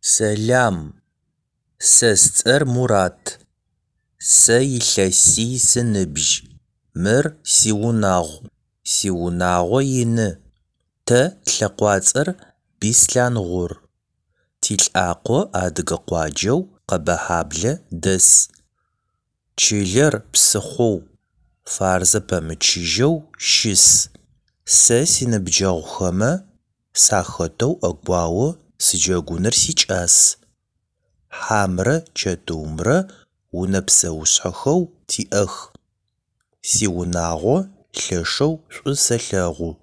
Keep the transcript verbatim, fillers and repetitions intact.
Сэлам! Сэ сцӏэр Мурат. Сэ илъэсий сыныбжь. Мыр сиунагъу. Сиунагъо ины. Тэ тлъэкъуацӏэр Бислъангъур. Тилӏакъо адыгэ къуаджэу Къэбэхьаблэ дэс. Чылэр псыхъоу Фарзэ пэмычыжьэу щыс. Сэ синыбджэгъухэмэ сахэтэу ӏэгуао сыджэгуныр сикӏас. Хьамрэ чэтыумрэ унэ псэушъхьэхэу тиӏэх. Сиунагъо лъэшэу шӏу сэлъэгъу.